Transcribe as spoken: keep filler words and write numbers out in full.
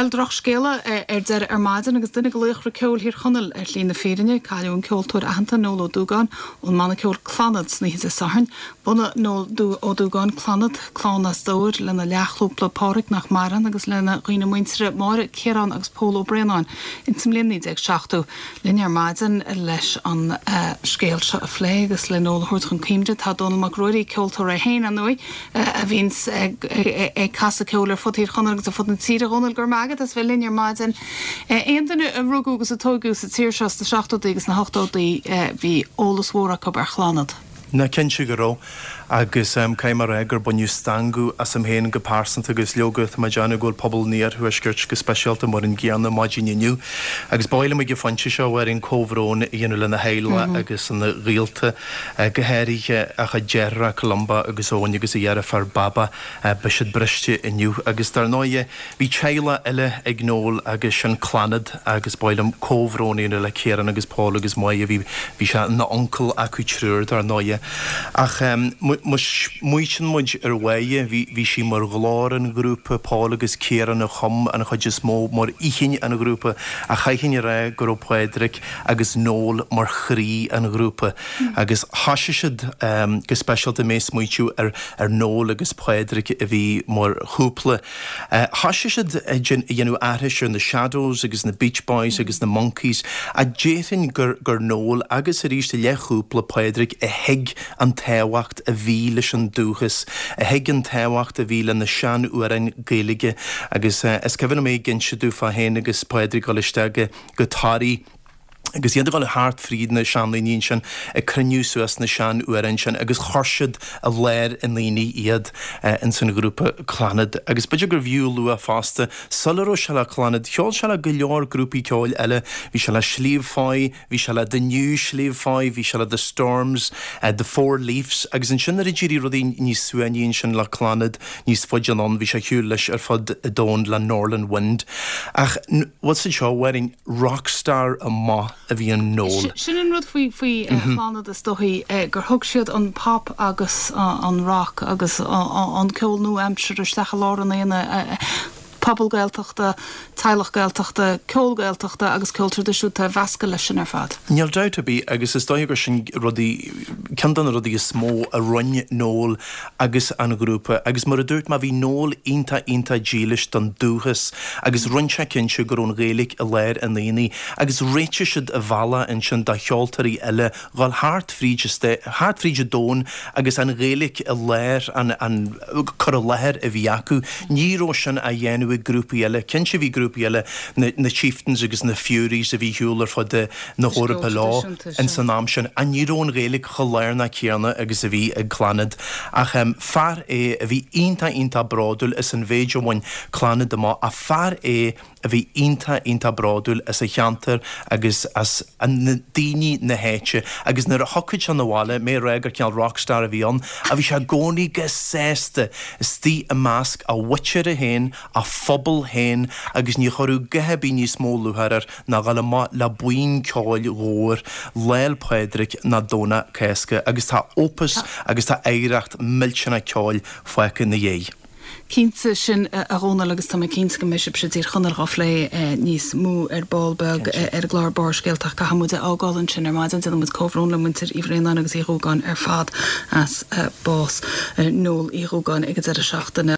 Bhuel, drochscéala ar deireadh ar maidin agus duine de laochra ceoil Thír Chonaill ar shlí na fírinne, cailleadh an ceoltóir aitheanta Noel Ó Dúgáin ón mbanna ceoil Clannad san oíche Dé Sathairn. Bhunaigh Noel Ó Dúgáin Clannad, clann as Dobhair, lena leathchúpla Páraic nach maireann agus lena dhaoine muinteartha Máire, Ciarán agus Pól Ó Braonáin insa mbliain naoi déag seachtó. Linn ar maidin leis an scéal seo a phlé agus le Noel a thabhairt chun cuimhne tá Dónall Mac Ruairí, ceoltóir é féin, ar ndóigh, a bhíonns ag casadh ceoil ar fud Thír Chonaill agus ar fud na tíre. A Dhónaill, go raibh maith agat as bheith linn ar maidin. Aon duine a rugadh agus a tógadh sa tír seo sna seachtóidí agus sna hochtóidí, bhí eolas mhór acu ar Chlannad. Ná cinnte go raibh. Agus caithfidh mé a rá gur baineadh stangadh asam féin go pearsanta agus leoga tá mé ag déanamh go bhfuil pobal an iarthuaiscirt go speisialta mar an gcéanna maidin inniu. Agus ba mhaith liom ag an phointe seo, a Mháirín, comhbhrón a dhéanamh lena theaghlach agus lena ghaolta, go háirithe a chuid deartháireacha Columba agus Eoin agus a dheirfiúr Baba. Beidh siad briste inniu. Agus dar ndóighe, bhí teaghlach eile ag Noel agus sin Clannad agus ba mhaith liom comhbhrón a dhéanamh le Ciarán agus Paul agus Máire. Bhí bhí sé ina uncail acu triúr dar ndóighe. Ach má smaoitíonn muid ar Mháire, bhí bhí sí mar ghlór an ghrúpa, Paul agus Ciarán a chum an chuid is mó mar inchinn an ghrúpa ach chaithfinn a rá go raibh Pádraic agus Noel mar chroí an ghrúpa agus thoisigh siad go speisialta mé ag smaoitiú ar ar Noel agus Pádraic a bhí mar chúpla. Thoisigh siad ag déanamh aithris ar na Shadows agus na Beach Boys agus na Monkees ach déarfainn gur gur Noel agus arís a leathchúpla Pádraic a thuig an tábhacht a bhí leis an dúchas, a thuig an tábhacht a bhí le na sean-amhráin Gaeilge agus is cuimhin liom é ag inse domh féin agus Pádraic ag dul isteach go Toraigh agus iad ag dul thart fríd na seandaoine ansin ag cruinniú suas na sean-amhráin sin agus chuir siad i lár an aonaigh iad ins an ghrúpa Clannad. Agus b'fhéidir gurbh fhiú a lua fosta, sula raibh sé le Clannad, cheol sé le go leor grúpaí ceoil eile, bhí sé le Sliabh Foy, bhí sé le The New Sliabh Foy, bhí sé le The Storms, The Four Leafs agus ansin nuair a d'éirigh rudaí níos suaimhní ansin le Clannad níos faide anonn, bhí sé ar shiúl leis ar fud an domhain le Norlin Wind. Ach bhfuil a fhios agat seo, a Mháirín, rockstar amach a bhí in Noel. Sin an rud faoi faoi Chlannad is dóichí, gur thug siad an pop agus an rock agus an ceol nua-aimseartha isteach i lár an aonaigh, pobal Gaeltachta, teaghlach Gaeltachta, ceol Gaeltachta agus ceol traidisiúnta a mheascadh leis sin ar fad. Níl dabht ar bith agus is dóiche gur sin rudaí, ceann de na rudaí is mó a rinne Noel agus an ghrúpa agus mar a dúirt mé bhí Noel iontach iontach dílis don dúchas agus rinne sé cinnte go raibh an Ghaeilge i lár an aonaigh agus réitigh siad an bealach ansin do cheoltóirí eile dhul thart fríd thart fríd an domhan agus an Ghaeilge i lár an an cur i láthair a bhí acu. Ní raibh sin á dhéanamh ag grúpaí eile. Cinnte bhí grúpaí eile, na na Chieftains agus na Fureys a bhí ar shiúl ar fud na hEorpa leo ins an am sin ach ní raibh an Ghaeilge chomh lárnach céanna agus a bhí ag Clannad. Ach fear é a bhí iontach iontach bródúil as an mhéid a bhain Clannad amach ach fear é a bhí iontach iontach bródúil as a cheantar agus as na daoine na háite agus nuair a thiocfadh sé 'na bhaile, mé ag rá gur cineál rockstar a bhí ann, ach bhí sé i gcónaí go sásta istigh i measc a mhuintire féin, a phobal féin agus ní chuirfeadh a dhath ar bith níos mó lúcháir air ná dhul amach le buíon ceoil mhór Lá 'le Pádraig ná Domhnach Cásca agus tá opus agus tá oidhreacht millteanach ceoil fágtha ina dhiaidh. Cinnte sin, a Dhónaill, agus tá mé cinnte go mbeidh sibhse i dTír Chonaill dhá phlé níos mó ar ball beag ar an gclár Barrscéalta ach caithfidh muid é a fhágáil ansin ar maidin. Déanann muid comhbhrón le muintir Uí Bhraonáin agus Uí Dhúgáin ar fad as bás Noel Uí Dhúgáin ag an deireadh seachtaine.